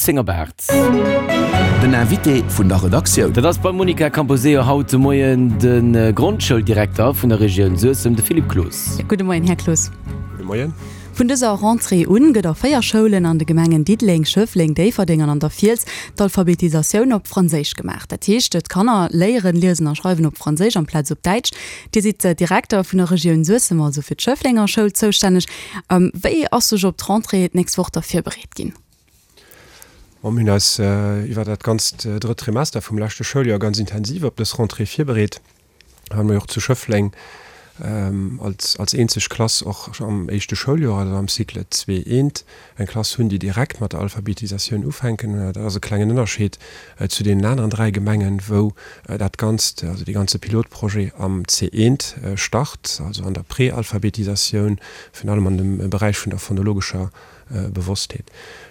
10 op 8. Den Invité vun der Redaktioun. Dat ass beim Monica Camposeo haut de Moien de Grondschouldirekter vun der Regioun Suessem, de Philippe Cloos. Gudde Moien, Här Cloos. Gudde Moien. Vun dëser Rentrée un gëtt a 4 Schoulen an de Gemengen Diddeleng, Schëffleng, Déifferdeng an an der Fiels d'Alphabetisatioun op Franséisch gemaach. Dat heescht, d'Kanner léieren liesen a schreiwen op Franséisch amplaz op Däitsch. Dir sidd Direkter vun der Regioun Suessem, also fir d'Schëfflenger Schoul zoustänneg. Wéi ass sech op d'Rentrée d'nächst Woch da virbereet ginn? Mir hunn eis iwwer dat ganzt drëtt Trimester vum leschte Schouljoer ganz intensiv op dës Rentrée virbereet. Well mer jo och zu Schëffleng als als eenzeg Klass och am éischte Schouljoer, also am Cycle 2 I, eng Klass hunn, déi direkt mat der Alphabetisatioun ufänken. Dat ass e klengen Ënnerscheed zu deenen aneren 3 Gemengen, wou dat Ganzt, also dee ganze Pilotprojet am C1 start, also an der Prealphabetisatioun, virun allem an dem Beräich vun der phonologescher Bewosstheet.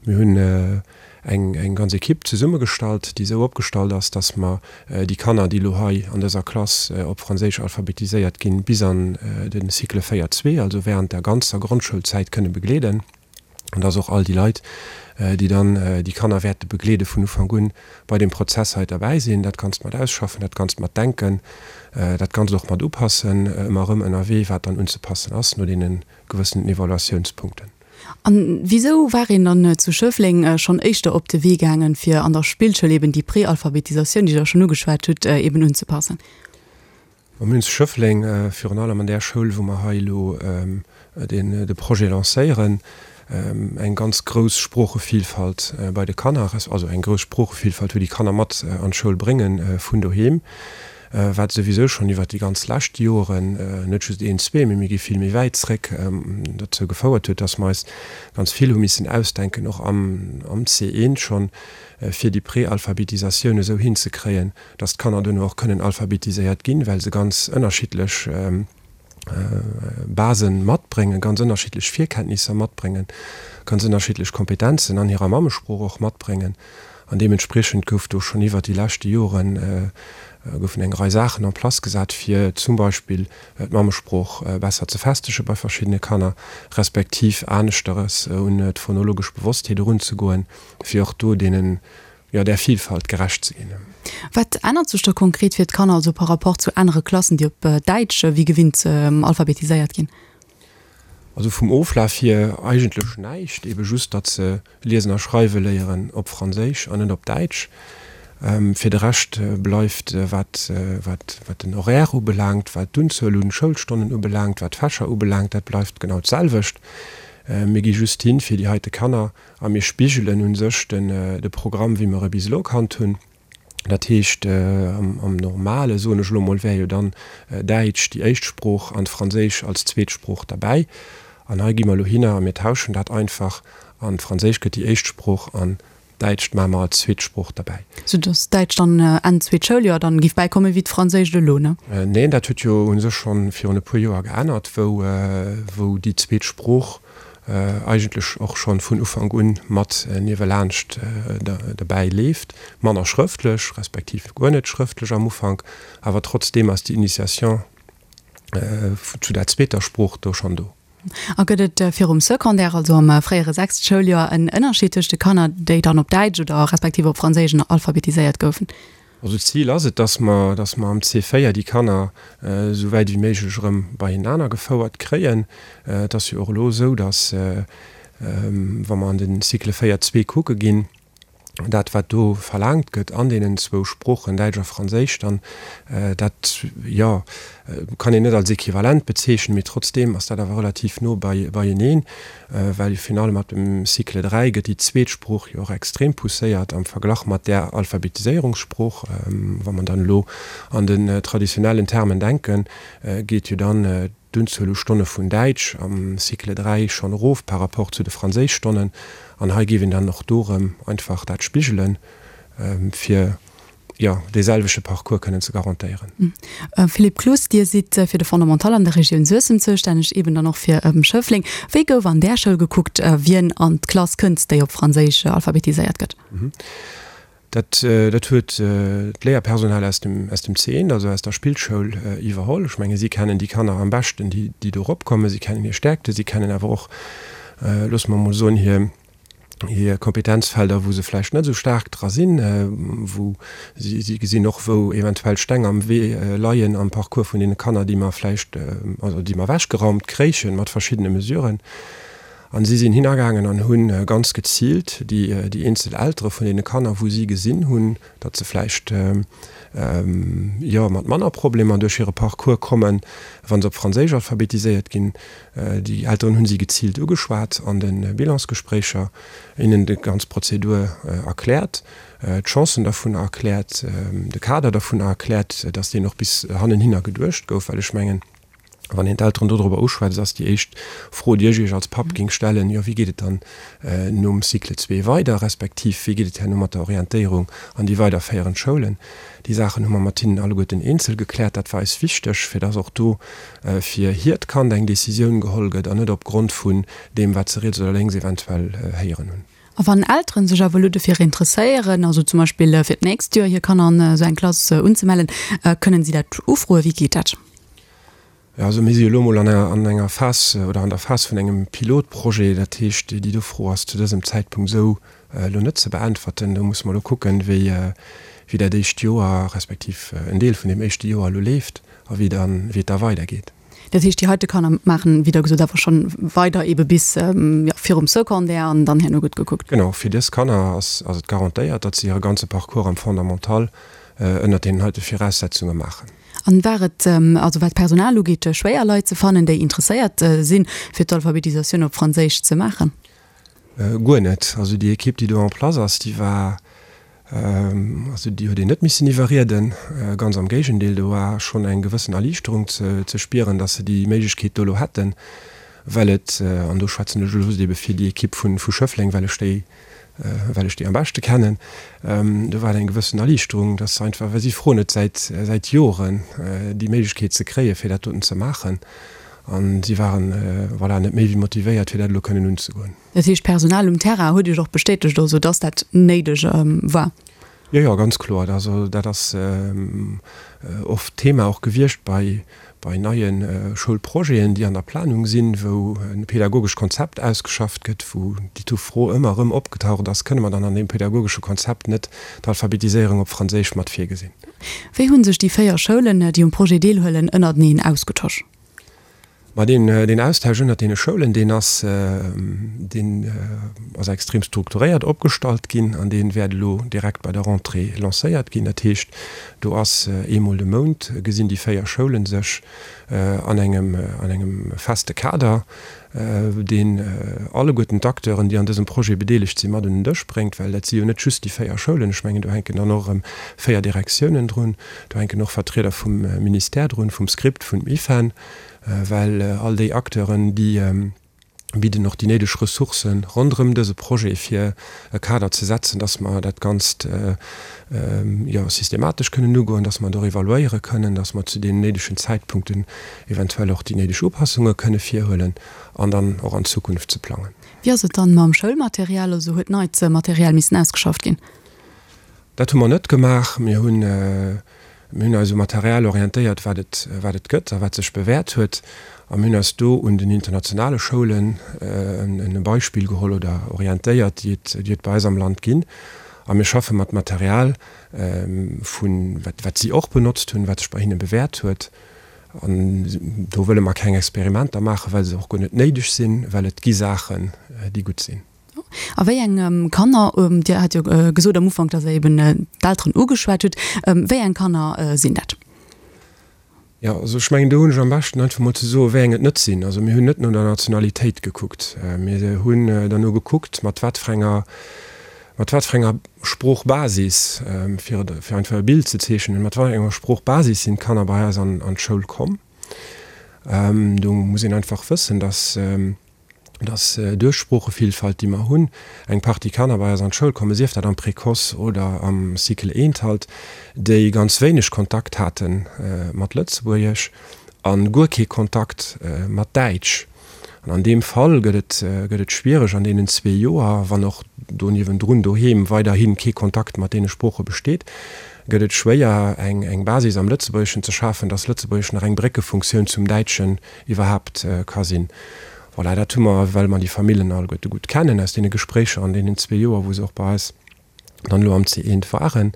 Mir hunn eng eng ganz Equipe zesummegestallt, déi esou opgestallt ass, dass mer déi Kanner, déi elo hei an dëser Klass op Franséisch alphabetiséiert ginn, bis an de Cycle 4, 2, also während der ganzer Grondschoulzäit kënne begleeden. An dass och all déi Leit, déi dann déi Kanner wäerte begleede vun Ufank un, bei deem Prozess hei derbäi sinn, dat Ganzt mat ausschaffen, dat Ganzt mat denken, dat Ganzt och mat upassen, ëmmer erëm ënnerwee, wat dann unzepassen ass no deene gewëssenen Evaluatiounspunkten. A wisou war een dann zu Schëffleng schonn éischter op de Wee gaangen, fir an der Spillschoul eben déi Prealphabetisatioun, déi Der schonn ugeschwat hutt, eben unzepassen? Mir hunn zu Schëffleng, virun allem an där Schoul, wou mer hei elo de Projet lancéieren, eng ganz grouss Sproochevilfalt bei de Kanner, also eng grouss Sproochevilfalt, wou déi Kanner mat an d'Schoul brénge vun doheem. Wat souwisou schonn iwwert déi ganz lescht Joren, net just een, zwee, mee mir gi vill méi wäit zréck, dozou gefouert huet, dass mer eis ganz vill hu missen ausdenken, och am C1 schonn, fir déi Prealphabetisatioun esou hinzekréien, dass d'Kanner duerno och kënnen alphabetiséiert ginn, well se ganz ënnerschiddlech Basen matbréngen, ganz ënnerschiddlech Virkenntnisser matbréngen, ganz ënnerschiddlech Kompetenzen an hirer Mammesprooch och matbréngen. An deementspriechend gouf do schonn iwwert déi leschte Joren goufen eng Rei Saachen en place gesat, fir zum Beispill d'Mammesprooch besser ze festege bei verschiddene Kanner, respektiv aneschteres un d'phonologesch Bewosstheet erunzegoen, fir och do deenen jo, där Vielfalt gerecht ze ginn. Wat ännert sech da konkret fir d'Kanner, also par rapport zu anere Klassen, déi op Däitsch wéi gewinnt alphabetiséiert ginn? Also vum Oflaf hier eigentlech näischt, ebe just, datt se liesen a schreiwe léieren op Franséisch an net op Däitsch. Fir de Rescht bleift, wat, wat, wat den Horaire ubelaangt, wat d'Unzuel un Schoulstonnen ubelaangt, wat d'Fächer ubelaangt, dat bleift genau d'selwecht. Mir gi just hin, fir déi heite Kanner A mir spigelen u sech de Programm, wéi mer e bis elo kannt hunn. Dat heescht, am Normale, soen ech elo mol, wär jo dann Däitsch déi éischt Sprooch an Franséisch als zweet Sprooch derbäi. An hei gi mer elo hinner a mir tauschen dat einfach an Franséisch gëtt déi éischt Sprooch an Däitscht maache mer als zweet Sprooch derbäi. Sou datt Däitsch dann Enn zweet Schouljoer dann géif bäikommen, wéi d'Franséischt elo, ne? Neen, dat huet jo u sech schonn virun e puer Joer geännert, wou déi zweet Sprooch eigentlech och schonn vun Ufank un mat niewelaanscht derbäi leeft, manner schrëftlech, respektiv guer net schrëftlech am Ufank, awer trotzdeem ass déi Initiation zu der zweeter Sprooch do schonn do. A gëtt et virum Secondaire, also am fréiere sechste Schouljoer, en Ënnerscheed tëscht de Kanner, déi dann op Däitsch oder respektiv op Franséisch alphabetiséiert goufen? Also d'Zil ass et, dass mer, dass mer am C4 déi Kanner esou wäit ewéi méiglech erëm beienaner gefouert kréien. Et ass jo och elo esou, dass, wa mer an de Cycle 4 zwee kucke ginn, dat wat do verlaangt gëtt an deenen zwou Sproochen, Däitsch a Franséisch, dann dat, jo, kann een net als equivalent bezeechnen, mee trotzdeem ass dat awer relativ no beieneen. Well virun allem ab dem Cycle 3 gëtt déi zweet Sprooch jo och extrem pousséiert am Verglach mat där Alphabetiséierungssprooch. Wa mer dann elo an den traditionellen Termen denken, geet jo dann d'Unzuel u Stonne vun Däitsch am Cycle 3 schonn erof par rapport zu de Franséischstonnen. An hei géif een dann och do erëm einfach dat spigelen, fir jo, dee selwechte Parcours kënnen ze garantéieren. Philippe Cloos, Dir sidd fir de Fondamental an der Regioun Suessem zoustänneg, eben dann och fir Schëffleng. Wéi gouf an där Schoul gekuckt, wien an d'Klass kënnt, déi op Franséisch alphabetiséiert gëtt? Dat, dat huet d'Léierpersonal aus dem, aus dem C1, also aus der Spillschoul, iwwerholl. Ech menge si kennen déi Kanner am beschten, déi, déi do eropkommen. Si kennen hir Stärkte, si kennen awer och, loosse mer emol soen, hir. Hir Kompetenzfelder, wou se vläicht net esou staark dra sinn, wou si, si gesinn och, wou eventuell Steng am Wee leien am Parcours vun deene Kanner, déi mer vläicht, also déi mer ewechgeraumt kréiche mat verschiddene Mesuren. An si sinn hinagaangen an hu ganz geziilt déi, déi eenzel Eltere vun deene Kanner, wou si gesinn hunn, datt se vläicht, jo, mat manner Problemer duerch hire Parcours kommen, wa se op Franséisch alphabetiséiert ginn, Déi Elteren hunn si geziilt ugeschwat an de Bilansgespréicher, hinnen déi ganz Prozedur erkläert, d'Chancen dervunner erkläert, de Kader dervunner erkläert, dass deen och bis hannenhinner geduecht gouf. Well ech mengen, wann een d'Elteren dodrober uschwätzt, ass déi éischt Fro, déi ech Iech als Papp géing stellen, Jo, wéi geet et dann nom Cycle zwee weider, respektiv wéi geet et herno mat der Orientéierung an déi weiderféierend Schoulen? Déi Saachen hu mer mat hinnen alleguerten eenzel gekläert. Dat war eis wichteg, fir dass och do fir hiert Kand eng Décisioun geholl gëtt an net op Grond vun deem, wat se riets oder lénks eventuell héieren hunn. A wann Elteren sech awer elo dofir interesséieren, also zum Beispill fir d'nächst Joer hir Kanner an esou eng Klass unzemellen, kënnen si dat ufroen? Wéi geet dat? Jo, also mir si elo emol an enger, an enger Phas oder an der Phas vun engem Pilotprojet. Dat heescht, déi do Fro ass zu dësem Zäitpunkt esou elo net ze beäntwerten. Do musse mer elo kucken, wéi, wéi dat éischt Joer respektiv en Deel vun deem éischte Joer elo leeft a wéi dann, wéi et da weidergeet. Dat heescht, déi heite Kanner maachen, wéi Der gesot, awer schonn weider eebe bis, jo, virum Secondaire an dann herno gëtt gekuckt. Genau, fir dës Kanner ass, ass et garantéiert, datt se hire ganze Parcours am Fondamental ënnert deenen heite Viraussetzunge maachen. An war et, also wat d'Personal ugeet, schwéier Leit ze fannen, déi interesséiert sinn, fir d'Alphabetisatioun op Franséisch ze maachen? Guer net. Also déi Equipe, déi do en place ass, déi war, also déi huet een net missen iwwerrieden. Ganz am Géigendeel, do war schonn eng gewëssen Erliichterung ze spieren, datt se déi Méiglechkeet do elo hätten, well et, an do schwätzen ech elo just ebe fir déi Equipe vu Schëffleng, well ech déi well ech déi am beschte kennen, do war et eng gewëssen Erliichterung, dass se einfach, well si froen et säit, säit Joren, déi Méiglechkeet ze kréien, fir dat doten ze maachen. A si waren, voilà, net méi wéi motivéiert, fir dat elo kënnen unzegoen. Dat heescht, d'Personal um Terrain huet Iech och bestätegt also, dass dat néideg war? Jo, jo, ganz kloer. Also dat ass oft Thema och gewiescht bei, bei neie Schoulprojeten, déi an der Planung sinn, wou e pädagogescht Konzept ausgeschafft gëtt, wou déi Fro ëmmer erëm opgetaucht ass, Kënne mer dann an deem pädagogesche Konzept net d'Alphabetiséierung op Franséisch mat virgesinn? Wéi hu sech déi 4 Schoulen, déi um Projet deelhuelen, ënnerteneen ausgetosch? Ma deen, deen Austausch ënnert deene Schoulen, deen ass, deen ass extrem strukturéiert opgestallt ginn an dee wäert elo direkt bei der Rentrée lancéiert ginn. Dat heescht, do ass eemol de Mount gesinn déi 4 Schoulen sech an engem, an engem feste Kader, deen alleguerten d'Acteuren, déi an dësem Projet bedeelegt sinn, mat un den Dësch bréngt, well dat si jo net just déi 4 Schoulen. Ech mengen, do hänken dann och erëm 4 Direktiounen drun, do hänken och Vertrieder vum Ministère drun, vum Script, vum IFEN, well all déi Acteuren, déi bidden och déi néideg Ressourcë ronderëm dëse Projet, fir e Kader ze setzen, dass mer dat Ganzt, jo, systematesch kënnen ugoen, dass mer et och evaluéiere kënnen, dass mer zu deenen néidegen Zäitpunkten eventuell och déi néideg Upassunge kënne virhuelen an dann och an d'Zukunft ze plangen. Wéi ass et dann mam Schoulmaterial? Also huet neit Material missen ausgeschafft ginn? Dat hu mer net gemaach. Mir hunn, mir hunn eis um Material orientéiert, wat et, wat et gëtt a wat sech bewäert huet. A mir hunn eis do un den internationale Schoulen en e Beispill geholl oder orientéiert, déi et, déi et bei eis am Land ginn. A mir schaffe mat Material vun, wat, wat si och benotzt hunn, wat sech bei hinne bewäert huet. An do wëlle mer keng Experimenter maachen, well se och guer net néideg sinn, well et gi Saachen, déi gutt sinn. A wéi eng Kanner, Dir hat jo gesot am Ufank, datt Der eben d'Elteren ugeschwat hutt, wéi eng Kanner sinn dat? Jo, also ech mengen, do hunn ech am beschten einfach mol ze soen, wéi eng et net sinn. Also mir hunn net no der Nationalitéit gekuckt. Mir hunn derno gekuckt, mat wat fir enger, mat wat fir enger Sproochbasis, fir fir einfach e Bild ze zeechnen, mat wat enger Sproochbasis sinn d'Kanner bei eis an an d'Schoul komm. Do muss een einfach wëssen, datt dass duerch d'Sproochevillfalt, déi mer hunn, eng Partie Kanner bei eis an d'Schoul kommen, sief dat am Précoce oder am Cycle eent halt, déi ganz wéineg Kontakt hate mat Lëtzebuergesch a guer kee Kontakt mat Däitsch. An an deem Fall gëtt et, gëtt et schwiereg an deenen zwee Joer, wann och do niewendrun doheem weiderhi kee Kontakt mat deene Sprooche besteet, gëtt et schwéier eng, eng Basis am Lëtzebuergeschen ze schafen, dass Lëtzebuergesch nach eng Bréckefunktioun zum Däitschen iwwerhaapt ka sinn. Voilà, dat hu mer, well mer déi Famillen alleguerte gutt kennen aus deene Gespréicher an deenen zwee Joer, wou se och bei eis dann elo am C1 waren,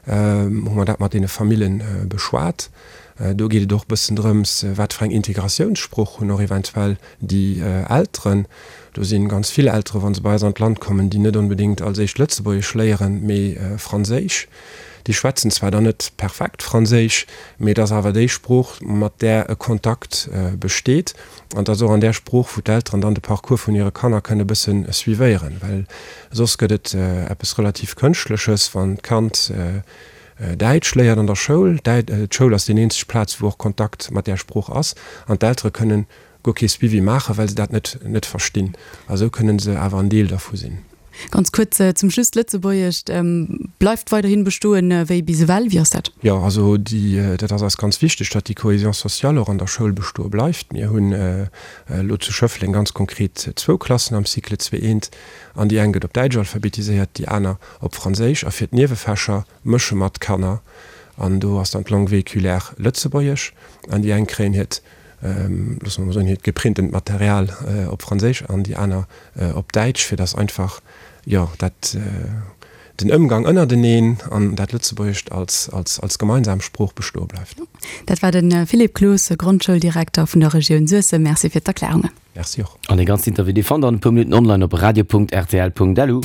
hu mer dat mat deene Famillen beschwat. Do geet et och e bëssen drëms, wat fir eng Integratiounssprooch hunn och eventuell déi Elteren. Do si ganz vill Elteren, wa se bei eis an d'Land kommen, déi net onbedéngt als éischt Lëtzebuergesch léieren, mee Franséisch. Déi schwätzen zwar dann net perfekt Franséisch, mee et ass awer déi Sprooch, mat där e Kontakt besteet. An et ass och an där Sprooch, wou d'Elteren dann de Parcours vun hire Kanner kënne e bësse suivéieren, well soss gëtt et eppes relativ Kënschtleches, wann d'Kand Däitsch léiert an der Schoul. D'Schoul ass déi eenzeg Plaz, wou och Kontakt mat där Sprooch ass, an d'Eltere kënnen guer kee Suivi maachen, well se dat net net verstinn. A sou kënnen se awer en Deel dervu sinn. Ganz kuerz zum Schluss, D'Lëtzebuergescht bleift weiderhin bestoen wéi bis ewell. Wéi ass dat? Jo, also déi, dat ass eis ganz wichteg, datt déi Cohésion sociale och an der Schoul bestoe bleift. Mir hunn elo zu Schëffleng ganz konkret zwou Klassen am Cycle 2 I, an déi eng gëtt op Däitsch alphabetiséiert, déi aner op Franséisch. A fir d'Niewefächer mësche mer d'Kanner an do ass dann d'Langue véhiculaire Lëtzebuergesch an déi eng kréien hiert loosse mer mol soen, hiert geprintent Material op Franséisch an déi aner op Däitsch, fir dass einfach, jo, dat, den Ëmgang ënnerteneen an dat Lëtzebuergescht als, als, als gemeinsam Sprooch bestoe bleift. Dat war de Philippe Cloos, Grondschouldirekter vun der Regioun Suessem. Merci fir d'Erklärungen. Merci och. An dee ganzen Interview, dee fannt der an e puer Minutten online op radio.rtl.lu.